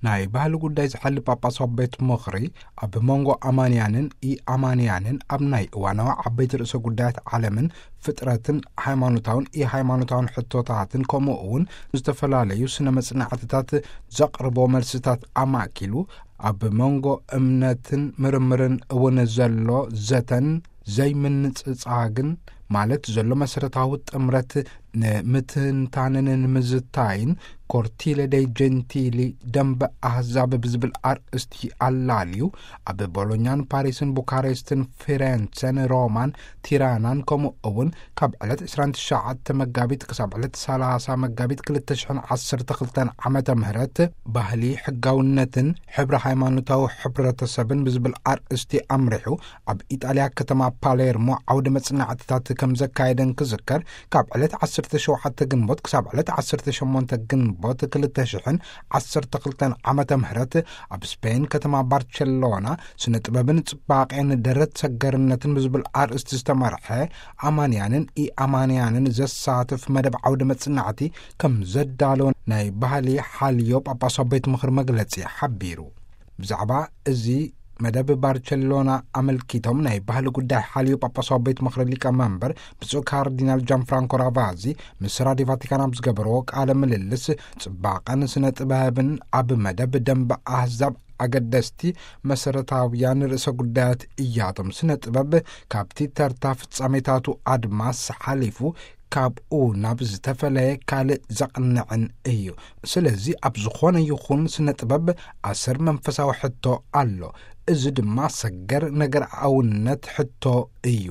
ናይ ባህሊ ጉዳይ ዝሓሊ ጳጳሳዊ ቤት ምኽሪ፣ ኣብ መንጎ ኣማንያንን ኢኣማንያንን ኣብ ናይ እዋናዊ ዓበይቲ ርእሰ ጉዳያት ዓለምን ፍጥረትን ሃይማኖታውን ኢሃይማኖታውን ሕቶታትን፣ ከምኡ እውን ዝተፈላለዩ ስነ መጽናዕትታት ዘቕርቦ መልስታት ኣማእኪሉ፣ ኣብ መንጎ እምነትን ምርምርን እውን ዘሎ ዘተን ዘይምንጽጻግን፣ ማለት ዘሎ መሰረታዊ ጥምረት ንምትንታንን ንምዝታይን፣ ኮርቲለ ደይ ጀንቲሊ፣ ደንበ ኣህዛብ ብዝብል ኣርእስቲ ኣላልዩ፣ ኣብ ቦሎኛን ፓሪስን ቡካሬስትን ፊሬንሰን ሮማን ቲራናን፣ ከምኡ እውን ካብ ዕለት ዕስራን ትሽዓተ መጋቢት ክሳብ ዕለት ሰላሳ መጋቢት ክልተ ሽሕን ዓሰርተ ክልተን ዓመተ ምህረት፣ ባህሊ፣ ሕጋውነትን ሕብረ ሃይማኖታዊ ሕብረተሰብን ብዝብል ኣርእስቲ ኣምሪሑ፣ ኣብ ኢጣልያ ከተማ ፓሌርሞ ዓውደ መጽናዕትታት ከም ዘካየደን ክዝከር፣ ካብ ዕለት ዓሰርተ ሸውዓተ ግንቦት ክሳብ ዕለት ዓሰርተ ሸሞንተ ግንቦት ክልተ ሽሕን ዓሰርተ ክልተን ዓመተ ምህረት፣ ኣብ ስፔን ከተማ ባርቸሎና፣ ስነ ጥበብን ጽባቄን ደረት ሰገርነትን ብዝብል ኣርእስቲ ዝተመርሐ፣ ኣማንያንን ኢኣማንያንን ዘሳትፍ መደብ ዓውደ መጽናዕቲ ከም ዘዳለወ ናይ ባህሊ ሓልዮ ጳጳሳዊ ቤት ምኽሪ መግለጺ ሓቢሩ። ብዛዕባ እዚ መደብ ባርቸሎና ኣመልኪቶም ናይ ባህሊ ጉዳይ ሓልዮ ጳጳሳዊ ቤት ምኽሪ ሊቀ መንበር ብፁዕ ካርዲናል ጃን ፍራንኮ ራቫዚ ምስ ራዲዮ ቫቲካን ኣብ ዝገበርዎ ቃለ ምልልስ፣ ጽባቐን ስነ ጥበብን ኣብ መደብ ደንበ ኣህዛብ ኣገደስቲ መሰረታውያን ርእሰ ጉዳያት እያቶም። ስነ ጥበብ ካብቲ ተርታ ፍጻሜታቱ ኣድማስ ሓሊፉ ካብኡ ናብ ዝተፈለየ ካልእ ዘቕንዕን እዩ። ስለዚ ኣብ ዝኾነ ይኹን ስነ ጥበብ ኣሰር መንፈሳዊ ሕቶ ኣሎ። እዚ ድማ ሰገር ነገር ኣውነት ሕቶ እዩ።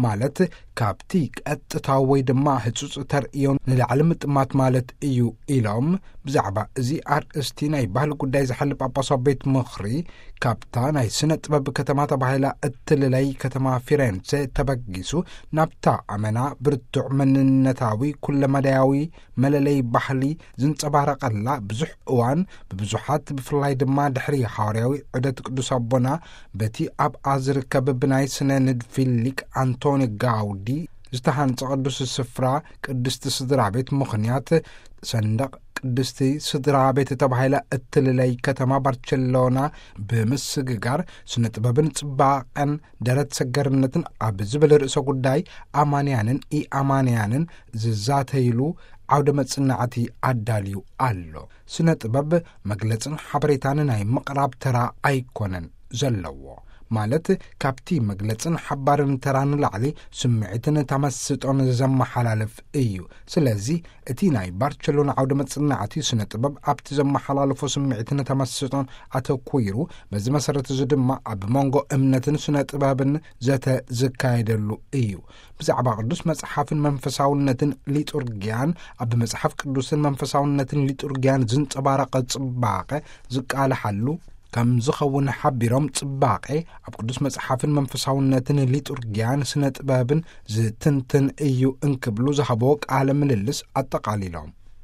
ማለት ካብቲ ቀጥታዊ ወይ ድማ ህጹጽ ተርእዮ ንላዕሊ ምጥማት ማለት እዩ ኢሎም፣ ብዛዕባ እዚ ኣርእስቲ ናይ ባህሊ ጉዳይ ዝሓሊ ጳጳሳዊ ቤት ምኽሪ፣ ካብታ ናይ ስነ ጥበብ ከተማ ተባሂላ እትልለይ ከተማ ፊሬንሴ ተበጊሱ፣ ናብታ ኣመና ብርቱዕ መንነታዊ ኩለመዳያዊ መለለይ ባህሊ ዝንጸባረቐላ ብዙሕ እዋን ብብዙሓት፣ ብፍላይ ድማ ድሕሪ ሃዋርያዊ ዑደት ቅዱስ ኣቦና፣ በቲ ኣብኣ ዝርከብ ብናይ ስነ ንድፊ ሊቅ ኣንቶኒ ጋውዲ ዝተሃንጸ ቅዱስ ስፍራ፣ ቅድስቲ ስድራ ቤት ምኽንያት፣ ሰንደቕ ቅድስቲ ስድራ ቤት ተባሂላ እትልለይ ከተማ ባርቸሎና ብምስግጋር፣ ስነ ጥበብን ጽባቐን ደረት ሰገርነትን ኣብ ዝብል ርእሰ ጉዳይ ኣማንያንን ኢኣማንያንን ዝዛተይሉ ዓውደ መጽናዕቲ ኣዳልዩ ኣሎ። ስነ ጥበብ መግለጽን ሓበሬታን ናይ ምቕራብ ተራ ኣይኮነን ዘለዎ። ማለት፣ ካብቲ መግለጽን ሓባርን ተራ ንላዕሊ ስምዒትን ተመስጦን ዘመሓላልፍ እዩ። ስለዚ፣ እቲ ናይ ባርቸሎና ዓውደ መጽናዕቲ ስነ ጥበብ ኣብቲ ዘመሓላልፎ ስምዒትን ተመስጦን ኣተኲሩ፣ በዚ መሰረት እዚ ድማ ኣብ መንጎ እምነትን ስነ ጥበብን ዘተ ዝካየደሉ እዩ። ብዛዕባ ቅዱስ መጽሓፍን መንፈሳውነትን ሊጡርጊያን፣ ኣብ መጽሓፍ ቅዱስን መንፈሳውነትን ሊጡርጊያን ዝንጸባረቐ ጽባቐ ዝቃልሓሉ ከም ዝኸውን ሓቢሮም፣ ጽባቐ ኣብ ቅዱስ መጽሓፍን መንፈሳውነትን ሊጡርጊያን ስነ ጥበብን ዝትንትን እዩ እንክብሉ ዝሃብዎ ቃለ ምልልስ ኣጠቓሊሎም።